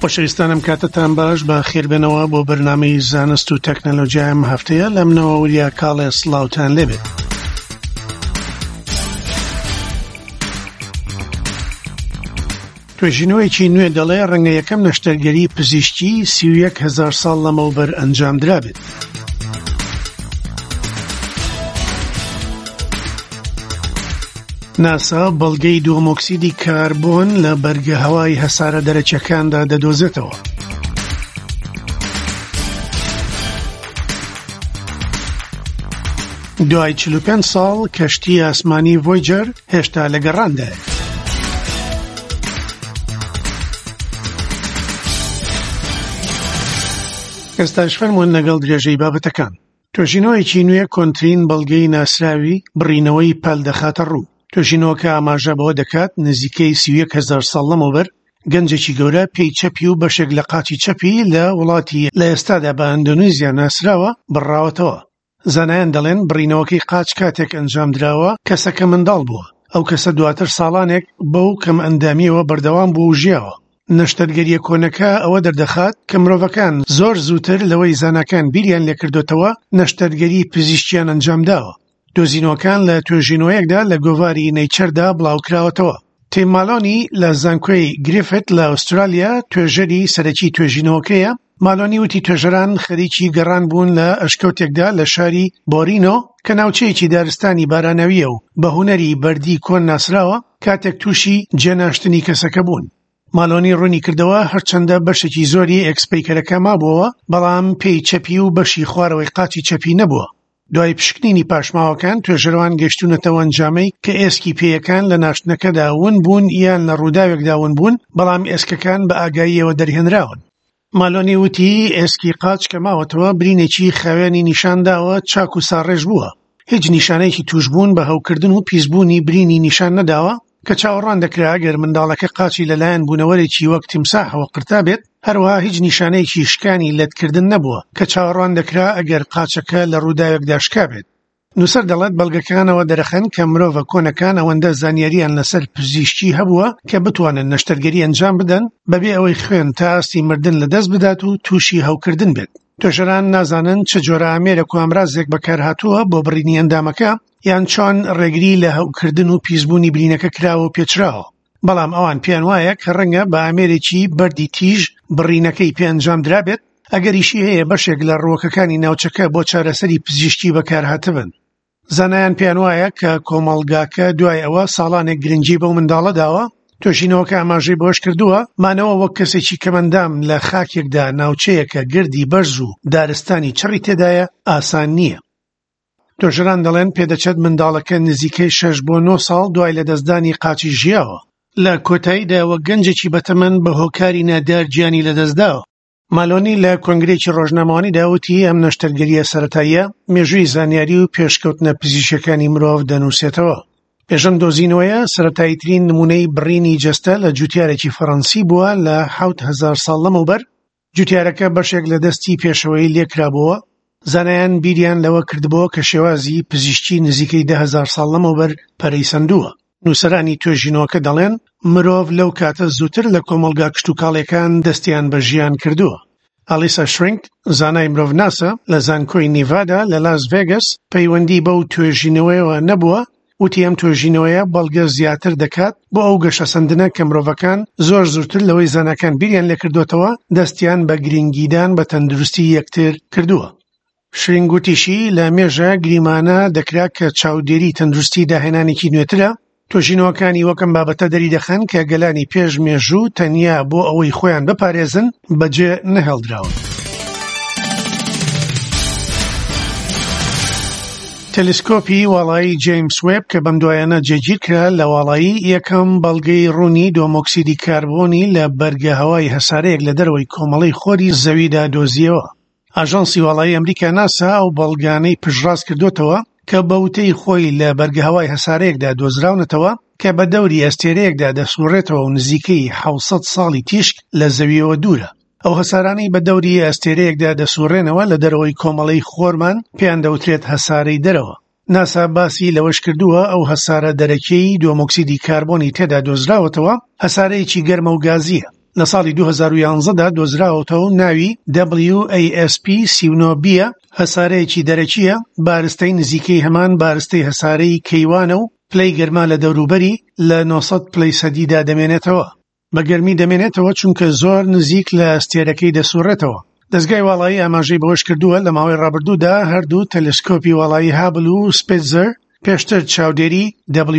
خۆشەویستانم کاتتان باش بە خێربێنەوە بۆ بەرنامەی زانست و تەکنەلۆژیای ئەم هەفتەیە لە منەوە وریا کاڵێ سڵاوتان لێبێت. توێژینەوەیەکی نوێ دەڵێ ڕەنگە یەکەم نەشتەرگەری پزیشکی 31 هزار ساڵ لەمەوبەر ئەنجام درابێت. ناسا بەڵگەی دووەمۆکسیدی کاربۆن لە بەرگە هەوای هەسارە دەرەکیەکاندا دەدۆزێتەوە. دوای 45 ساڵ کەشتی ئاسمانی ڤۆیجەر هێشتا لە گەڕاندایە. ئێستاش فەرموون لەگەڵ درێژەی بابەتەکان. توێژینەوەیەکی نوێ کۆنترین بەڵگەی ناسراوی بڕینەوەی پەل دەخاتە ڕوو. توێژینەوەکە ئاماژە بەوە دەکات نزیکەی 31 هەزار ساڵ لەمەوبەر گەنجێکی گەورە پێی چەپی و بەشێک لە قاچی چەپی لە وڵاتی لە ئێستادا بە ئەندۆنیزیا ناسراوە بڕاوەتەوە. زانایان دەڵێن بڕینەوەکەی قاچ کاتێک ئەنجامدراوە کەسەکە منداڵ بووە، ئەو کەسە دواتر ساڵانێک بەو کەمئەندامییەوە بەردەوام بووە و ژیاوە. نەشتەرگەرییە کۆنەکە ئەوە دەردەخات کە مرۆڤەکان زۆر زووتر لەوەی زاناکان بیریان لێکردۆتەوە نەشتەرگەری پزیشکیان ئەنجامداوە. دۆزینەوەکان لە توێژینەوەیەکدا لە گۆڤاری نەیچەردا بڵاوکراوەتەوە. تیم مالۆنی لە زانکۆی گریفت لە ئوسترالیا توێژەری سەرەکی توێژینەوەکەیە. مالۆنی وتی توێژەران خەریکی گەڕان بوون لە ئەشکەوتێکدا لە شاری بۆرینۆ کە ناوچەیەکی دارستانی باراناوییە و بە هونەری بەردی کۆن ناسراوە، کاتێک تووشی جێناشتنی کەسەکە بوون. مالۆنی ڕوونی کردەوە هەرچەندە بەشێکی زۆری ئێکسپەیکەرەکە مابووەوە، بەڵام پێی چەپی و بەشی خوارەوەی قاچی چەپی نەبووە. دوای پشکنینی پاشماوەکان، توێژەرەوان گەیشتوونەتەوە ئەنجامەی کە ئێسکی پێیەکان لە ناشتنەکەدا ون بوون یان لە ڕووداوێکدا ون بوون، بەڵام ئێسکەکان بە ئاگاییەوە دەرهێنراون. مالۆنی وتی، ئێسکی قاچ کە ماوەتەوە برینێکی خاوێنی نیشان داوە چاک و ساڕێژ بووە، هیچ نیشانەیەکی تووشبوون بە هەوکردن و پیسبوونی برینی نیشان نەداوە، کە چاوەڕوان دەکرا ئەگەر منداڵەکە قاچی لەلایەن بوونەوەرێکی وەک تیمساحەوە قرتابێت، هەروەها هیچ نیشانەیەکی شکانی لەتکردن نەبووە، کە چاوەڕوان دەکرا ئەگەر قاچەکە لە ڕووداوێکدا شکابێت. نووسەر دەڵێت بەڵگەکان ئەوە دەرەخەن کە مرۆڤە کۆنەکان ئەوەندە زانیارییان لەسەر پزیشکی هەبووە کە بتوانن نەشتەرگەری ئەنجام بدەن بەبێ ئەوەی خوێن تا ئاستی مردن لەدەست بدات و تووشی هەوکردن بێت. توێژەران نازانن چ جۆرە ئامێرێک و ئامرازێک بەکارهاتووە بۆ بڕینی ئەندامەکە یان چۆن ڕێگری لە هەوکردن و پیسبوونی برینەکە کراوە و پێچراوە. بەڵام ئەوان پێیان وایە کە ڕەنگە بە ئامێرێکی بەردی تیژ بڕینەکەی پێ ئەنجام درابێت، ئەگەریشی هەیە بەشێک لە ڕووەکەکانی ناوچەکە بۆ چارەسەری پزیشکی بەکارهاتبن. زانایان پێیان وایە کە کۆمەڵگاکە دوای ئەوە ساڵانێک گرنگی بەو منداڵە داوە. توێژینەوەکە ئاماژەی بەوەشکردووە، مانەوە وەک کەسێکی کەمئەندام لە خاکێکدا ناوچەیەکە گردی بەرز و دارستانی چڕی تێدایە ئاسان نییە. توێژەران دەڵێن پێدەچێت منداڵەکە نزیکەی شەش بۆ نۆ ساڵ دوای لەدەستدانی قاچی ژیاوە. لە کۆتاییدا وەک گەنجێکی بەتەمەن بە هۆکاری نادیار گیانی لەدەستداوە. مالۆنی لە کۆنگرەیەکی ڕۆژنامەوانیدا وتی ئەم نەشتەرگەرییە سەرەتاییە مێژووی زانیاری و پێشکەوتنە پزیشکییەکانی مرۆڤ دەنووسێتەوە. پێش ئەم دۆزینەوەیە سەرەتاییترین نموونەی بڕینی جەستە لە جوتیارێکی فەڕەنسی بووە لە 7000 ساڵ لەمەوبەر جوتیارەکە بەشێک لە دەستی پێشەوەی لێکرابۆوە، زانایان بیریان لەوە کردبۆوە کە شێوازی پزیشکی نزیکەی 10,000 ساڵ لەمەوبەر پەرەی سەندووە. نووسەرانی توێژینەوەکە دەڵێن، مرۆڤ لەو کاتە زووتر لە کۆمەڵگا کشتوکاڵییەکان دەستیان بە ژیان کردووە. ئالیسا شرینک، زانای مرۆڤناسە لە زانکۆی نیڤادا لە لاس ڤێگەس، پەیوەندی بەو توێژینەوەیەوە نەبووە، وتی ئەم توێژینەوەیە بەڵگە زیاتر دەکات بۆ ئەو گەشەسەندنە کە مرۆڤەکان زۆر زووتر لەوەی زاناکان بیریان لێکردۆتەوە دەستیان بە گرنگیدان بە تەندروستی یەکتر کردووە. شرینگ وتیشی لە مێژە گریمانە دەکرا کە چاودێری تەندروستی داهێنانێکی نوێترە، توێژینەوەکانی وەک ئەم بابەتە دەریدەخەن کە گەلانی پێش مێژوو تەنیا بۆ ئەوەی خۆیان بپارێزن بەجێ نەهێڵدراون. تەلسکۆپی واڵایی جەیمس وێب کە بەم دوایانە جێگیرکرا لە واڵایی، یەکەم بەڵگەی ڕوونی دۆمۆکسیدی کاربۆنی لە بەرگە هەوای هەسارەیەک لە دەرەوەی کۆمەڵەی خۆری زەویدا دۆزیەوە. ئاژانسی واڵایی ئەمریکا ناسا ئەو بەڵگانەی پشتڕاست کردۆتەوە کە بە وتەی خۆی لە بەرگەهەوای هەسارەیەکدا دۆزراونەتەوە کە بە دەوری ئەستێرەیەکدا دەسوڕێتەوە و نزیکەی 700 ساڵی تیشک لە زەویەوە دوورە. ئەو هەسارانەی بە دەوری ئەستێرەیەکدا دەسوڕێنەوە لە دەرەوەی کۆمەڵەی خۆرمان پێیان دەوترێت هەسارەی دەرەوە. ناسا باسی لەوەش کردووە ئەو هەسارە دەرەکیەی دووەمۆکسیدی کاربۆنی تێدا دۆزراوەتەوە هەسارەیەکی گەرمە و گازییە. لە ساڵی 2011 دا دۆزراوەتەوە و ناوی WASP 39 B یە، هەسارەیەکی دەرەکییە، بارستەی نزیکەی هەمان بارستەی هەسارەی کەیوانە و پلەی گەرما لە دەوروبەری لە 900 پلەی سەدیدا دەمێنێتەوە. بە گەرمی دەمێنێتەوە چونکە زۆر نزیک لە ئەستێرەکەی دەسوڕێتەوە. دەزگای واڵایی ئاماژەی بەوەشکردووە، لە ماوەی ڕابردوودا هەردوو تەلەسکۆپی واڵایی هابل و سپیتزەر پێشتر چاودێری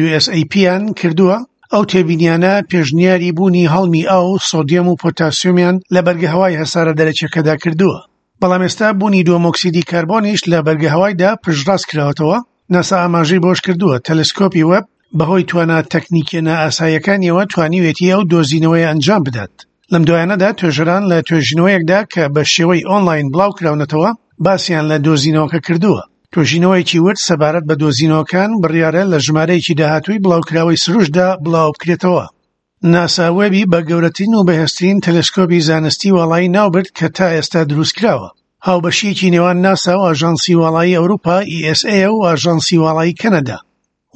WSAP-یان کردووە، ئەو تێبینیانە پێشنیاری بوونی هەڵمی ئاو و سۆدیەم و پۆتاسیۆمیان لە بەرگەهەوای هەسارە دەرەکیەکەدا کردووە. بەڵام ئێستا بوونی دووەمۆکسیدی کاربۆنیش لە بەرگەهەوایدا پشتڕاست کراوەتەوە. ناسا ئاماژەی بەوەشکردووە، تەلەسکۆپی وێب بەهۆی توانا تەکنیکیە نائاساییەکانیەوە توانیویەتی ئەو دۆزینەوەیە ئەنجام بدات. لەم دوایانەدا توێژەران لە توێژینەوەیەکدا کە بە شێوەی ئۆنلاین بڵاوکراونەتەوە باسیان لە دۆزینەوەکە کردووە. توێژینەوەیەکی ورد سەبارەت بە دۆزینەوەکان بڕیارە لە ژمارەیەکی داهاتووی بڵاوکراوەی سروشتدا بڵاوبکرێتەوە. ناسا وێبی بە گەورەترین و بەهێزترین تەلەسکۆبی زانستی واڵایی ناوبرد کە تا ئێستا دروستکراوە. هاوبەشییەکی نێوان ناسا و ئاژانسی واڵایی ئەوروپا ESA و ئاژانسی واڵایی کەنەدا.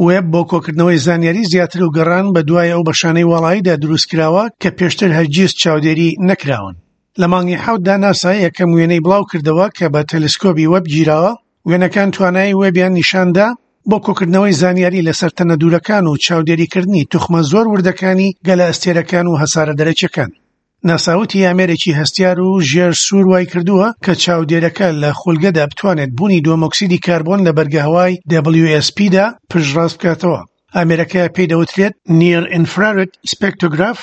وێب بۆ کۆکردنەوەی زانیاری زیاتر و گەڕان بە دوای ئەو بەشانەی واڵاییدا دروستکراوە کە پێشتر هەرگیز چاودێری نەکراون. لە مانگی حەوتدا ناسا یەکەم وێنەی بڵاوکردەوە کە بە تەلەسکۆبی وێب گیراوە، وێنەکان توانای وێبیان نیشاندا بۆ کۆکردنەوەی زانیاری لەسەر تەنە دوورەکان و چاودێریکردنی توخمە زۆر وردەکانی گەلەئەستێرەکان و هەسارە دەرەکیەکان. ناسا وتی ئامێرێکی هەستیار و ژێر سوور وایکردووە کە چاودێرەکە لە خولگەدا بتوانێت بوونی دووەمۆکسیدی کاربۆن لە بەرگەهەوای WSP دا پشتڕاست بکاتەوە. ئامێرەکە پێی دەوترێت Near Infrared Spectrograph،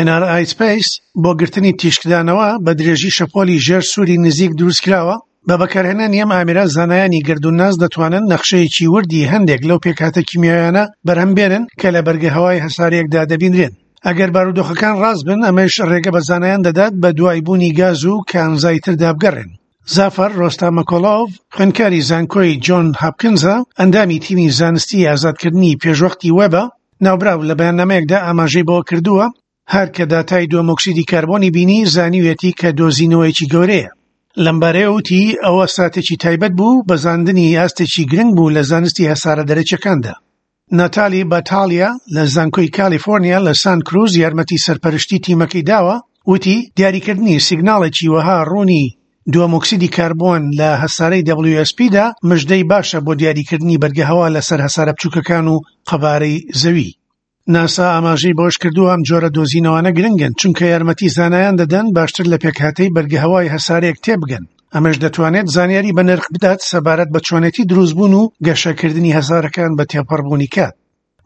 NRI Space، بۆ گرتنی تیشکدانەوە بە درێژی شەپۆلی ژێر سووری نزیک دروستکراوە. بە بەکارهێنانی ئەم ئامێرە زانایانی گەردوونناس دەتوانن نەخشەیەکی وردی هەندێک لەو پێکهاتە کیمیاویانە بەرهەم بێنن کە لە بەرگەهەوای هەسارەیەکدا دەبینرێن. ئەگەر بارودۆخەکان ڕاست بن، ئەمەش ڕێگە بە زانایان دەدات بە دوای بوونی گاز و کانزای تردا بگەڕێن. زافەر ڕۆستامەکۆڵۆڤ، خوێندکاری زانکۆی جۆن هاپکنزە، ئەندامی تیمی زانستی ئازادکردنی پێشوەختی وێبە، ناوبراو لە بەیاننامەیەکدا ئاماژەی بەوە کردووە، هەر کە داتای دووەمۆکسیدی کاربۆنی بینی زانیویەتی کە دۆزینەوەیەکی گەورەیە. لەمبارەیەوە وتی، ئەوە ساتێکی تایبەت بوو، بەزاندنی ئاستێکی گرنگ بوو لە زانستی هەسارە دەرەکیەکاندا. ناتالی باتالیا لە زانکۆی کالیفۆرنیا لە سان کروز یارمەتی سەرپەرشتی تیمەکەی داوە، وتی، دیاریکردنی سیگناڵێکی وەها ڕوونی دووەمۆکسیدی کاربۆن لە هەسارەی WSP دا مژدەی باشە بۆ دیاریکردنی بەرگەهەوا لەسەر هەسارە بچووکەکان و قەبارەی زەوی. ناسا ئاماژەی بەوەشکردووە، ئەم جۆرە دۆزینەوانە گرنگن چونکە یارمەتی زانایان دەدەن باشتر لە پێکهاتەی بەرگەهەوای هەسارەیەک تێبگەن، ئەمەش دەتوانێت زانیاری بەنرخ بدات سەبارەت بە چۆنێتی دروستبوون و گەشەکردنی هەسارەکان بە تێپەڕبوونی کات.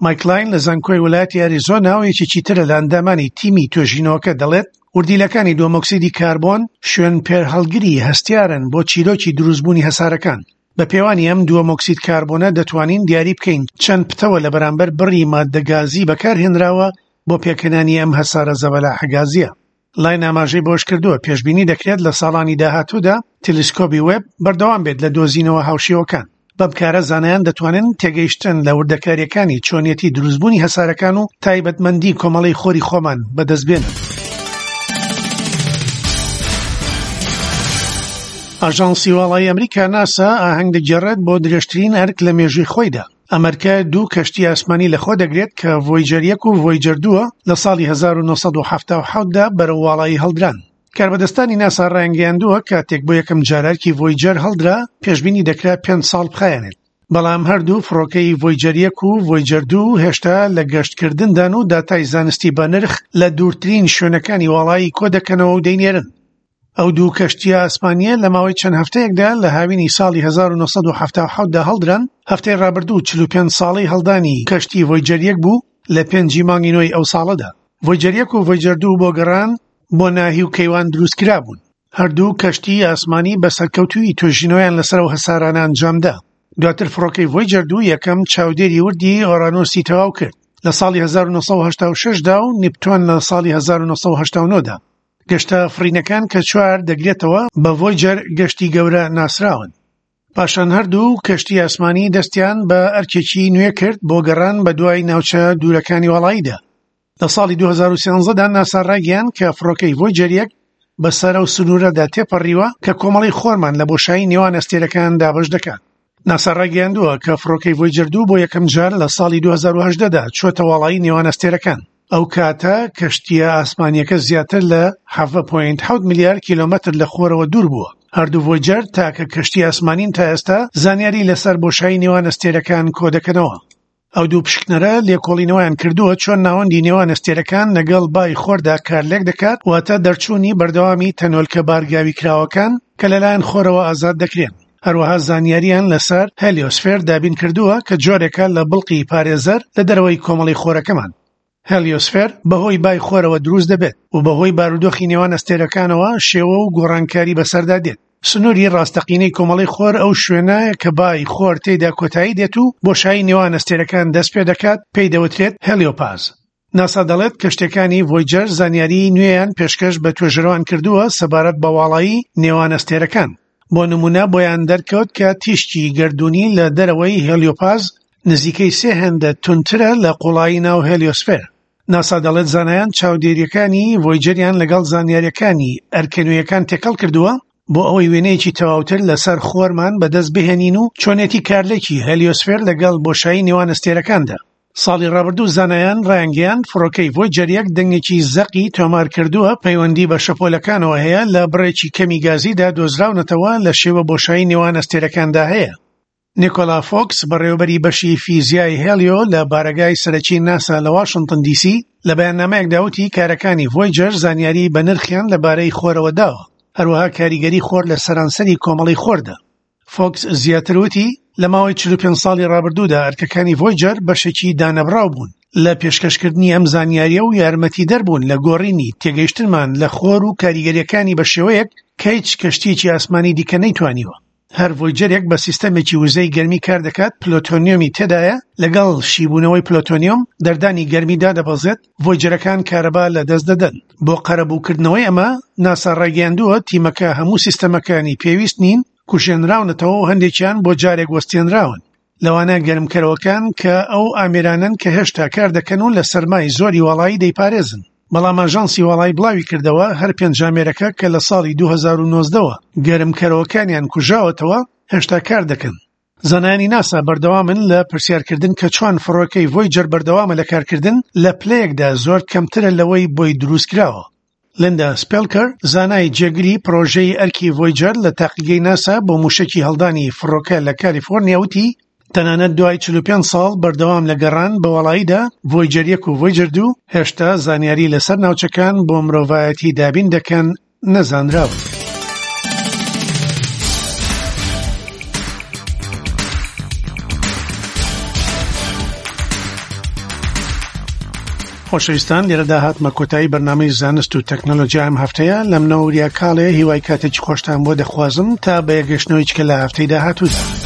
مایک لاین لە زانکۆی ویلایەتی ئەریزۆنا و یەکێکی ترە لە ئەندامانی تیمی توێژینەوەکە دەڵێت، وردیلەکانی دووەمۆکسیدی کاربۆن شوێنپێهەڵگری هەستیارن بۆ چیرۆکی دروستبوونی هەسارەکان. بە پێوانی ئەم دووەمۆکسید کاربۆنە دەتوانین دیاری بکەین چەند پتەوە لە بەرامبەر بڕی ماددە گازی بەکارهێنراوە بۆ پێکهێنانی ئەم هەسارە زەبەلاحە گازییە. لاین ئاماژەی بەوەشکردووە، پێشبینی دەکرێت لە ساڵانی داهاتوودا تەلەسکۆبی وێب بەردەوام بێت لە دۆزینەوە هاوشێوەکان. بەم کارە زانایان دەتوانن تێگەیشتن لە وردەکارییەکانی چۆنیەتی دروستبوونی هەسارەکان و تایبەتمەندی کۆمەڵەی خۆری خۆمان بەدەستبێنن. ئاژانسی واڵایی ئەمریکا ناسا ئاهەنگ دەگێڕێت بۆ درێژترین ئەرک لە مێژووی خۆیدا. ئەم ئەرکە دوو کەشتی ئاسمانی لەخۆ دەگرێت کە ڤۆیجەر یەک و ڤۆیجەر دووە لە ساڵی 1977 دا بەرەو واڵایی هەڵدران. کاربەدەستانی ناسا ڕایانگەیاندووە کاتێک بۆ یەکەم جار ئەرکی ڤۆیجەر هەڵدرا پێشبینی دەکرا پێنج ساڵ بخایەنێت. بەڵام هەردوو فڕۆکەی ڤۆیجەر یەک و ڤۆیجەر دوو هێشتا لە گەشتکردندان و داتای زانستی بەنرخ لە دوورترین شوێنەکانی واڵایی کۆدەکەنەوە و دەینێرن. ئەو دوو کەشتییە ئاسمانییە لە ماوەی چەند هەفتەیەکدا لە هاوینی ساڵی 1977 دا هەڵدران، هەفتەی ڕابردوو 45 ساڵەی هەڵدانی کەشتی ڤۆیجەر یەک بوو لە پێنجی مانگی نۆی ئەو ساڵەدا. ڤۆیجەر یەک و ڤۆیجەر دوو بۆ گەڕان بۆ ناهی و کەیوان دروستکرابوون. هەردوو کەشتیی ئاسمانی بە سەرکەوتوویی توێژینەوەیان لەسەر ئەو هەسارانە ئەنجامدا. دواتر فڕۆکەی ڤۆیجەر دوو یەکەم چاودێری وردی ئۆرانۆسی تەواو کرد لە ساڵی 1986 دا و نیپتۆن لە ساڵی 1989 دا. گەشتە فڕینەکان کە چوار دەگرێتەوە بە ڤۆیجەر گەشتی گەورە ناسراون. پاشان هەردوو کەشتی ئاسمانی دەستیان بە ئەرکێکی نوێ کرد بۆ گەڕان بە دوای ناوچە دوورەکانی واڵاییدا. لە ساڵی 2013 دا ناسا ڕایگەیاند کە فڕۆکەی ڤۆیجەر یەک بەسەر ئەو سنوورەدا تێپەڕیوە کە کۆمەڵەی خۆرمان لە بۆشایی نێوان ئەستێرەکان دابەش دەکات. ناسا ڕایگەیاندووە کە فڕۆکەی ڤۆیجەر دوو بۆ یەکەم جار لە ساڵی 2018 دا چووەتە واڵایی نێوان ئەستێرەکان. ئەو کاتە کەشتییە ئاسمانییەکە زیاتر لە 17.7 ملیار کیلۆمەتر لە خۆرەوە دوور بووە. هەردوو ڤۆیجەر تاکە کەشتی ئاسمانین تا ئێستا زانیاری لەسەر بۆشایی نێوان ئەستێرەکان کۆدەکەنەوە. ئەو دوو پشکنەرە لێکۆڵینەوەیان کردووە چۆن ناوەندی نێوان ئەستێرەکان لەگەڵ بای خۆردا کارلێک دەکات، واتە دەرچوونی بەردەوامی تەنۆلکە بارگاویکراوەکان کە لەلایەن خۆرەوە ئازاد دەکرێن. هەروەها زانیارییان لەسەر هێلیۆسفێر دابین کردووە کە جۆرێکە لە بڵقی پارێزەر لە دەرەوەی کۆمەڵەی خۆرەکەمان. هێلیۆسفێر بەهۆی بای خۆرەوە دروست دەبێت و بەهۆی بارودۆخی نێوان ئەستێرەکانەوە شێوە و گۆڕانکاری بەسەردا دێت. سنووری ڕاستەقینەی کۆمەڵەی خۆر ئەو شوێنە کە بای خۆر تێیدا کۆتایی دێت و بۆشایی نێوان ئەستێرەکان دەست پێدەکات پێی دەوترێت هێلیۆپاز. ناسا دەڵێت کەشتیەکانی ڤۆیجەر زانیاریی نوێیان پێشکەش بە توێژەرەوان کردووە سەبارەت بە واڵایی نێوان ئەستێرەکان. بۆ نموونە بۆیان دەرکەوت کە تیشکی گەردوونی لە دەرەوەی هێلیۆپاز نزیکەی سێ هێندە توندترە لە قوڵایی ناو هێلیۆسفێر. ناسا دەڵێت زانایان چاودێرییەکانی ڤۆیجەریان لەگەڵ زانیارییەکانی ئەرکە نوێیەکان تێکەڵ کردووە بۆ ئەوەی وێنەیەکی تەواوتر لەسەر خۆرمان بەدەست بهێنین و چۆنێتی کارلێکی هێلیۆسفێر لەگەڵ بۆشایی نێوان ئەستێرەکاندا. ساڵی ڕابردوو زانایان ڕایانگەیاند فڕۆکەی ڤۆیجەر یەک دەنگێکی زەقی تۆمار کردووە پەیوەندی بە شەپۆلەکانەوە هەیە لە بڕێکی کەمی گازیدا دۆزراونەتەوە لە شێوە بۆشایی نێوان ئەستێرەکاندا هەیە. نیکۆلا فۆکس، بەڕێوەبەری بەشی فیزیای هێلیۆ لە بارەگای سەرەکی ناسا لە واشنتن دی سی، لە بەیاننامەیەکدا وتی کارەکانی ڤۆیجەر زانیاری بەنرخیان لەبارەی خۆرەوە داوە، هەروەها کاریگەری خۆر لە سەرانسەری کۆمەڵەی خۆردا. فۆکس زیاتر وتی، لە ماوەی 45 ساڵی ڕابردوودا ئەرکەکانی ڤۆیجەر بەشێکی دانەبڕاو بوون لە پێشکەشکردنی ئەم زانیارییە و یارمەتیدەر بوون لە گۆڕینی تێگەیشتنمان لە خۆر و کاریگەرییەکانی بە شێوەیەک کە هیچ کەشتییەکی ئاسمانی دیکە نەیتوانیوە. هەر ڤۆیجەرێک بە سیستەمێکی وزەی گەرمی کار دەکات پلۆتۆنیۆمی تێدایە، لەگەڵ شیبوونەوەی پلۆتۆنیۆم دەردانی گەرمی دادەبەزێت، ڤۆیجەرەکان کارەبا لەدەست دەدەن. بۆ قەرەبووکردنەوەی ئەمە، ناسا ڕایگەیاندووە تیمەکە هەموو سیستەمەکانی پێویست نین کوژێنراونەتەوە و هەندێکیان بۆ جارێک وەستێنراون، لەوانە گەرمکەرەوەکان کە ئەو ئامێرانەن کە هێشتا کاردەکەن و لە سەرمای زۆری واڵایی دەیپارێزن. بەڵام ئاژانسی واڵایی بڵاویکردەوە هەر پێنج ئامێرەکە کە لە ساڵی 2019 وە گەرمکەرەوەکانیان کوژاوەتەوە هێشتا کاردەکەن. زانایانی ناسا بەردەوامن لە پرسیارکردن کە چۆن فڕۆکەی ڤۆیجەر بەردەوامە لە کارکردن لە پلەیەکدا زۆر کەمترە لەوەی بۆی دروستکراوە. لیندا سپێلکەر، زانای جێگری پڕۆژەی ئەرکی ڤۆیجەر لە تاقیگەی ناسا بۆ مووشەکی هەڵدانی فڕۆکە لە کالیفۆرنیا وتی، تەنانەت دوای 45 ساڵ بەردەوام لە گەڕان بە واڵاییدا، ڤۆیجەر یەک و ڤۆیجەر دوو هێشتا زانیاری لەسەر ناوچەکان بۆ مرۆڤایەتی دابین دەکەن نەزانراون. خۆشەویستان لێرەدا هاتمە کۆتایی بەرنامەی زانست و تەکنەلۆژیا ئەم هەفتەیە لەم نەوریا کاڵێ هیوای کاتێکی خۆشتان بۆ دەخوازم تا بە یەکگەشتنەوەی چکە لە هەفتەی داهاتوودا.